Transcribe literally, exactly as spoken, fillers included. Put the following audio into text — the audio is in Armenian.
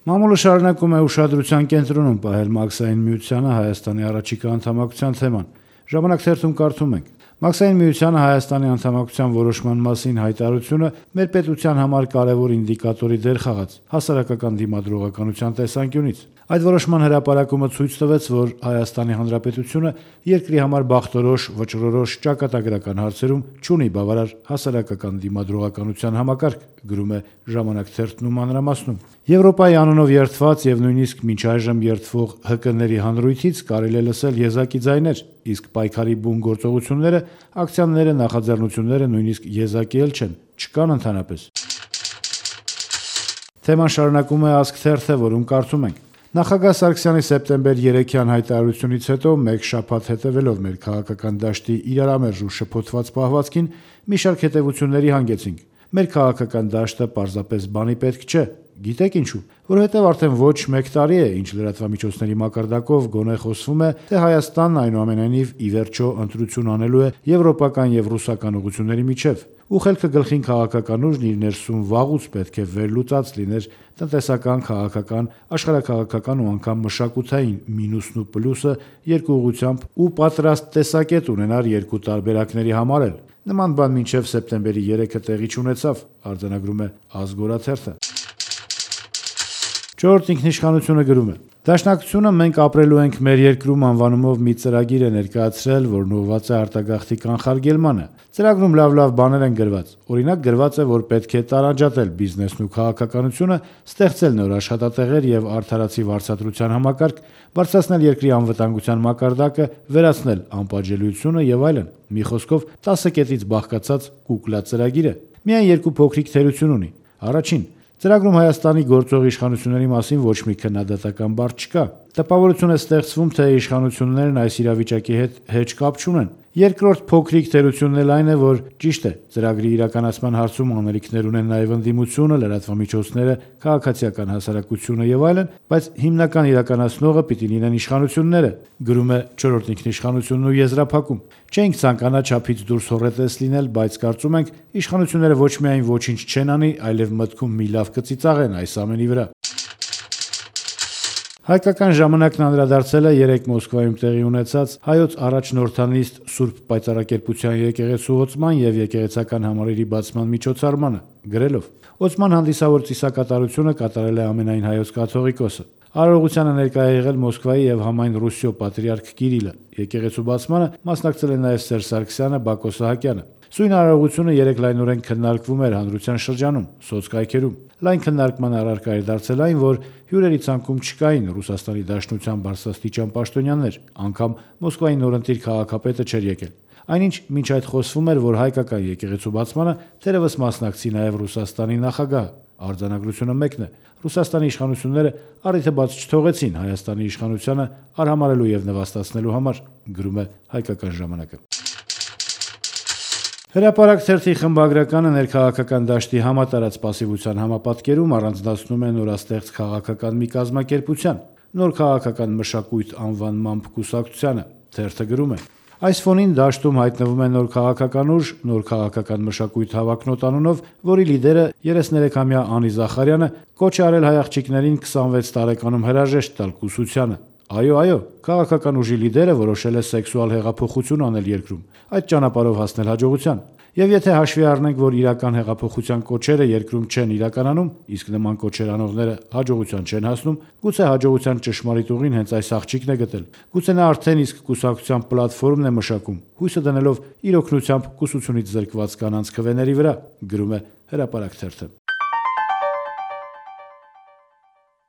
Մամուլը շարունակում է ուշադրության կենտրոնում պահել Մաքսային միությանը Հայաստանի առաջիկա անդամակցության թեման։ Ժամանակ թերթում կարդում ենք. Մաքսային միությանը Հայաստանի անդամակցության որոշման մասին հայտարարությունը մեր պետության համար կարևոր ինդիկատորի դեր խաղաց հասարակական դիմադրողականության տեսանկյունից։ Այդ որոշման հրապարակումը ցույց տվեց, որ Հայաստանի Հանրապետությունը երկրի համար բախտորոշ, վճռորոշ ճակատագրական հարցերում չունի բավարար հասարակական դիմադրողականության համակարգ, գրում է Ժամանակ թերթն ու մանրամասնում։ Եվրոպայի անունով երդված եւ նույնիսկ մինչ այժմ երդվող ՀԿ-ների հանրույթից կարելի է լսել եզակի ձայներ, իսկ պայքարի բուն գործողությունները, ակցիաները, նախաձեռնությունները նույնիսկ եզակի էլ չեն, չկան ընդհանրապես։ Թեման շարունակում է Ազգ թերթը, որում կարդում ենք. Նախագահ Սարգսյանի սեպտեմբեր երեքյան հայտարարությունից հետո մեկ շաբաթ հետևելով մեր քաղաքական դաշտի իրարամերժ ու շփոթված պահվածքին մի շարք հետևությունների հանգեցինք։ Մեր քաղաքական դաշտը պարզապես բանի պետք չէ։ Գիտեք ինչու։ Որովհետև արդեն ոչ մեկ տարի է, ինչ լրատվամիջոցների մակարդակով գոնե խոսվում է, թե Հայաստանն այնուամենայնիվ ի վերջո ընտրություն անելու է եվրոպական եւ ռուսական ուղղությունների միջև։ Ու խելքը գլխին քաղաքական ուժն իր ներսում վաղուց պետք է վերլուծած լիներ տնտեսական, քաղաքական, աշխարհաքաղաքական ու անգամ մշակութային մինուսն ու պլյուսը երկու ուղղությամբ ու պատրաստ տեսակետ ունենար երկու տարբերակների համար էլ։ Նման բան մինչև սեպտեմբերի երեքը տեղի չունեցավ, արձանագրում է Ազգ օրաթերթը։ Չորրորդ ինքնիշխանությունը գրում է. Դաշնակցությունը մենք ապրելու ենք մեր երկրում անվանումով մի ծրագիր է ներկայացրել, որն ուղղված է արտագաղթի կանխարգելմանը։ Ծրագրում լավ-լավ բաներ են գրված։ Օրինակ գրված է, որ պետք է տարանջատել բիզնեսն ու քաղաքականությունը, ստեղծել նոր աշխատատեղեր եւ արդարացի վարձատրության համակարգ, բարձրացնել երկրի անվտանգության մակարդակը, վերացնել անպատժելիությունը եւ այլն։ Մի խոսքով տասը կետից բաղկացած կուկլա ծրագիր է։ Միայն երկու փոքրիկ թերություն ունի։ Առաջին, ծրագրում Հայաստանի գործող իշխանությունների մասին ոչ մի քննադատական բառ չկա։ Տպավորություն է ստեղծվում, թե իշխանություններն այս իրավիճակի հետ հեչ կապ չունեն։ Երկրորդ փոքրիկ թերությունն էլ այն է, որ ճիշտ է, ծրագրի իրականացման հարցում անելիքներ ունեն նաև ընդդիմությունը, լրատվամիջոցները, քաղաքացիական հասարակությունը եւ այլն, բայց հիմնական իրականացնողը պիտի լինեն իշխանությունները, գրում է չորրորդ ինքնիշխանությունն ու եզրափակում։ Չենք ցանկանա չափից դուրս հոռետես լինել, բայց կարծում ենք իշխանությունները ոչ միայն ոչինչ չեն անի, այլև մտքում մի լավ կծիծաղեն այս ամենի վրա։ Հայկական ժամանակն անդրադարձել է երեկ Մոսկվայում տեղի ունեցած հայոց առաջնորդանիստ Սուրբ Պայծառակերպության եկեղեցու ոցման եւ եկեղեցական համալիրի բացման միջոցառմանը, գրելով. Ոցման հանդիսավոր ծիսակատարությունը կատարել է ամենայն հայոց կաթողիկոսը։ Արարողությանը ներկայ է եղել Մոսկվայի եւ համայն Ռուսիո պատրիարք Կիրիլը։ Եկեղեցու բացմանը մասնակցել են նաեւ Սերժ Սարգսյանը, Բակո Սահակյանը։ Սույն արարողությունը երեկ լայնորեն քննարկվում էր հանրության շրջանում, սոցկայքերում։ Լայն քննարկման առարկա էր դարձել այն, որ հյուրերի ցանկում չկային Ռուսաստանի Դաշնության բարձրաստիճան պաշտոնյաներ, անգամ Մոսկվայի նորընտիր քաղաքապետը չէր եկել։ Այնինչ մինչ այդ խոսվում էր, որ հայկական եկեղեցու բացմանը թերևս մասնակցի նաև Ռուսաստանի նախագահը։ Արձանագրությունը մեկն է. Ռուսաստանի իշխանությունները առիթը բաց չթողեցին Հայաստանի իշխանությանը արհամարելու եւ նվաստացնելու համար, գրում է Հայկական ժամանակը։ Հրապարակ թերթի խմբագրականը ներքաղաքական դաշտի համատարած պասիվության համապատկերում առանձնացնում է նորաստեղծ քաղաքական մի կազմակերպության, նոր քաղաքական մշակույթ անվանմամբ կուսակցությանը։ Թերթը գրում է. Այս ֆոնին դաշտում հայտնվում է նոր քաղաքական ուժ, նոր քաղաքական մշակույթ հավակնոտ անունով, որի լիդերը երեսներեքամյա Անի Զախարյանը կոչ է արել հայ աղջիկներին քսանվեց տարեկանում հրաժեշտ տալ կուսությանը։ Այո, այո, քաղաքական ուժի լիդերը որոշել է սեքսուալ հեղափոխություն անել երկրում, այդ ճանապարհով հասնել հաջողության։ Եվ եթե հաշվի առնենք, որ իրական հեղափոխության կոչերը երկրում չեն իրականանում, իսկ նման կոչեր անողները հաջողության չեն հասնում, գուցե հաջողության ճշմարիտ ուղին հենց այս աղջիկն է գտել։ Գուցե նա արդեն իսկ կուսակցության պլատֆորմն է մշակում, հույսը դնելով իր օգնությամբ կուսությունից զրկված կանանց քվեների վրա, գրում է Հրապարակ թերթը։